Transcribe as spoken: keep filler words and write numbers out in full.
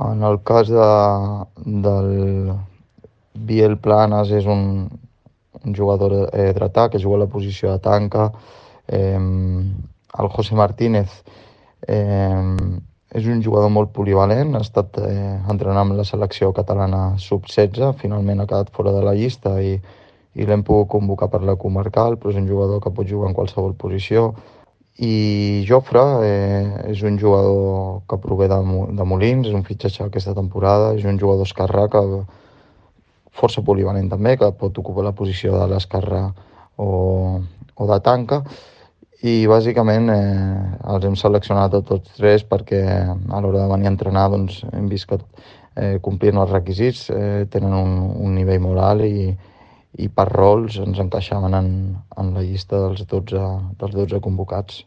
En el cas de, del Biel Planas és un, un jugador eh, dretà que juga a la posició de tanca. Eh, el José Martínez eh, és un jugador molt polivalent, ha estat eh, entrenant amb la selecció catalana sub setze, finalment ha quedat fora de la llista i, i l'hem pogut convocar per la comarcal, però és un jugador que pot jugar en qualsevol posició. I Jofre eh, és un jugador que prové de, de Molins, és un fitxatge aquesta temporada, és un jugador esquerrà que força polivalent també, que pot ocupar la posició de l'esquerrà o, o de tanca. I bàsicament eh, els hem seleccionat a tots tres perquè a l'hora de venir a entrenar doncs, hem vist que eh, complien els requisits, eh, tenen un, un nivell molt alt i, i per rols ens encaixaven en, en la llista dels dotze, dels dotze convocats.